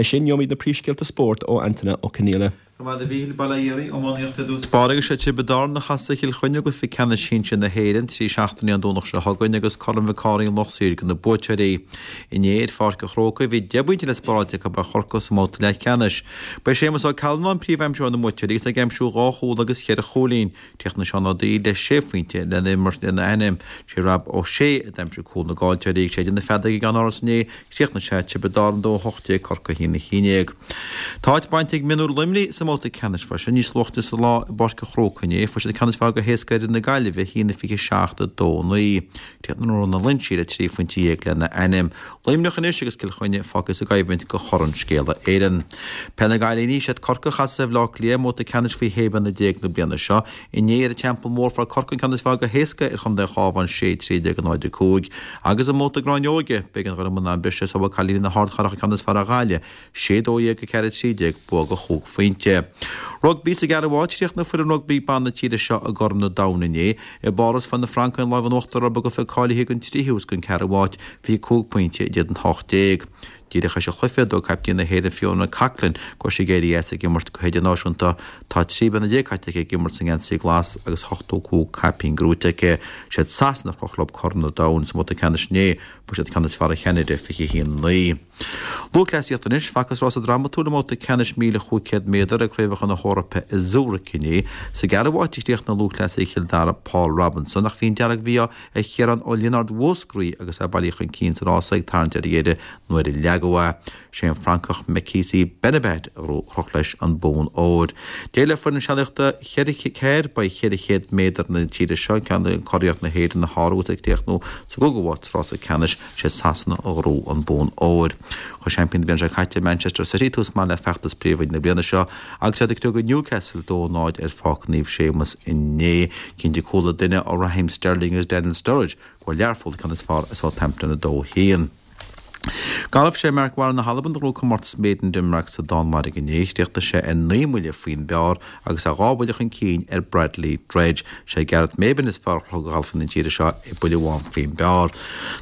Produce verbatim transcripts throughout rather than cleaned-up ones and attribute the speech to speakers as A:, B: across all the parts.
A: Leis sin gheobhaimid na príomhscéalta spóirt ó Antaine Ó Conghaile.
B: Go mhaith Baile iománaíocht i dtús báire agus sé Tiobraid Árann a chasfaidh Cill Chainnigh i gcluiche ceannais sinsir na hÉireann trí seachtainí ón Domhnach seo chugainn agus Corn Mhic Cárthaigh an Lucht Saoir do na buaiteoirí. Inné ar Pháirc an Chrócaigh bhí deich bpointe le spáráilte acu ar Chorcaigh sa mbabhta leathcheannais. Ba é Séamus Ó Callanáin príomhaimseoir na mbuaiteoirí agus é ag aimsiú dhá chúl agus cheithre chúilín. Chríochnaigh Seán Ó Dúill le sé phointe lena imirt lena ainm. Sé Rob Ó Sé a d'aimsigh cúl na gcaillteoirí ag séideadh na feadóige i gceann-áras inné, chríochnaigh sé Tiobraid Árann dó a hocht déag Corcaigh a haon a haon déag. Tá áit bainte ag mionúir Luimnigh sa mbabhta ceannais freisin níos luaithe sa lá i bPáirc an Chrócaigh inné, fuair siad an ceann is fearr go héasca ar fhir na Gaillimhe, a haon a fiche seacht a dó a naoi. Chríochnaigh Rónán Loingsigh le trí phointe dhéag lena ainm. Luimneach anois agus Cill Chainnigh fágtha sa gcoimhlint do Chorn Scéala Éireann. Peil na gCailíní, siad Corcaigh a chasfaidh ar Bhaile Átha Cliath i mbabhta ceannais faoi shé bliana déag na bliana seo. Inné ar an Teampall Mór fuair Corcaigh an ceann is fearr go héasca ar chontae an Chabháin, sé trí déag a náid a cúig. Agus i mbabhta gráinneoige, b'éigean do Dhoire Mannáin briseadh sular bhfuair cailíní na hArdchathrach an ceann is fearr ar Ghaillimh, sé dó dhéag a ceathair a trí déag, bua de chúig phointe. Rugbaí sa gceathrú háit, chríochnaigh foireann rugbaí ban na tíre seo i gCorn an Domhain inné. I bPáras fuair na Francaigh an lámh in uachtar orthu i gcluiche cáilithe don tríú is don ceathrú háit, fiche cúig pointe in éadan a hocht déag. Díreach tar éis an chluiche, dúirt caiptín na hÉireann Fiona Coghlan go raibh sí ag éirí as ag imirt go hidirnáisiúnta. Tá trí bliana déag caite aici ag imirt sa ngeansaí glas agus ochtó cúig caipín gnóite aici. Siad Sasana a chroch leo Corn an Domhain sa mbabhta ceannais inné. Fuair siad an ceann is fearr ar Cheanada, fiche a haon a naoi. Lúthchleasaíocht anois, Facthas rása drámatúil i mbabhta ceannais míle chúig chéad méadar ag Craobhacha na hEorpa i Zurich inné. Sa gceathrú háit a chríochnaigh lúthchleasaí Chill Dara Paul Robinson ach bhí an dearg-mhí-ádh ar Chiarán Ó Lionáird Mhúscraí agus é bailithe chun cinn sa rása ag tarraingt ar dheireadh nuair a leagadh é. Sé an Francach Mekhissi Benabbad a chroch leis an bonn óir. Deireadh le foireann sealaíochta cheithre ceathair by cheithre chéad méadar na tíre seo, ceann de curaidh na hÉireann a shárú agus ag críochnú sa gcúigiú háit sa rása ceannais, sé Sasana a ghnóthaigh an bonn óir. Chuir seaimpíní na bliana seo caite Manchester City tús maith le feachtas Príomhroinn na bliana seo agus iad ag criogadh Newcastle dó náid ar Pháirc Naomh Séamus inné. Cinn de cúl an duine ó Raheem Sterling agus Daniel Sturridge go bhfuair Learpholl an ceann is fearr ar Southampton a dó a haon. Galf, Sé Mark Warren na hAlban a ghnóthaigh comórtas Made in Denmark sa Danmhairg inné. Chríochnaigh sé ar naoi mbuille faoin bpar agus é dhá bhuille chun cinn ar Bradley Dredge. Sé Gareth Maybin is fearr a chroch de ghalfaithe na tíre seo é buille amháin faoin bpar.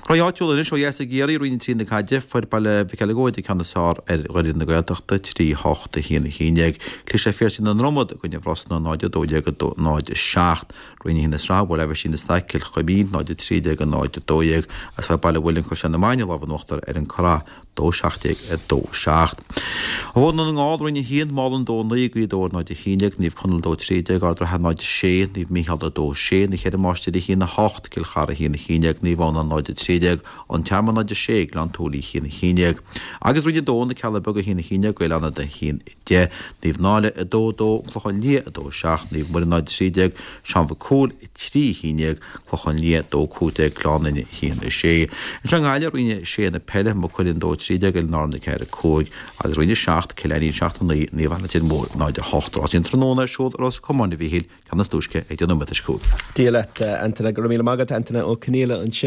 B: Cluichí áitiúla anois ó dheas i gCiarraí, Roinn a trí na caide, fuair Baile Mhic Eileagóid an ceann is fearr ar Dhoirí na Gaeltachta, trí hocht a haon a haon déag. Chlis ar Phiarsaigh na nDromad i gcoinne Bhrosna, náid a dó déag a dó náid a seacht. Roinn a haon na sraithe, bhuail Aibhistín na Staic Cill Chuimín, náid a trí déag a náid a dó dhéag, agus fuair Baile an Mhuilinn Caisleán na Maine an lámh in uachtar ar an Currach, dó seacht déag a dó seacht. Ó Dhún na nGall, Roinn a haon, Málainn dó a naoi, Gaoth Dobhair náid a haon déag, Naomh Conaill dó trí déag, Ard an Rátha náid a sé, Naomh Mícheál a dó sé, Na Ceithre Máistrí a haon a hocht, Cill Chartha a haon a haon déag, Naomh Adhamhnáin náid a trí déag, An Tearmann náid a sé, Gleann tSúilí a haon a haon déag. Agus Roinn a dó, Na Cealla Beaga a haon a haon déag, Gaeil Fhánada a haon a deich, Naomh Náille a dó a dó, An Clochán Liath a dó a seacht, Naomh Muire náid a trí déag, Seán Mhic Cumhaill a trí a haon déag, Clochán Liath dó cúig déag, Gleann Fhinne a haon a sé. Anseo i nGaillimh, Roinn a sé na peile, Maigh Cuilinn dó a trí déag, Oileáin Árann a ceathair a cúig, agus Roinn a seacht, Cill Ainnín seacht a naoi, Naomh Anna Leitir Móir náid a hocht. Rásaí an tráthnóna ar siúl i Ros Comáin a Mhíchíl, ceann is túisce ag deich nóiméad tar éis a cúig.
A: Dia leat, Antaine. Go raibh míle maith agat, Antaine Ó Conghaile ansin.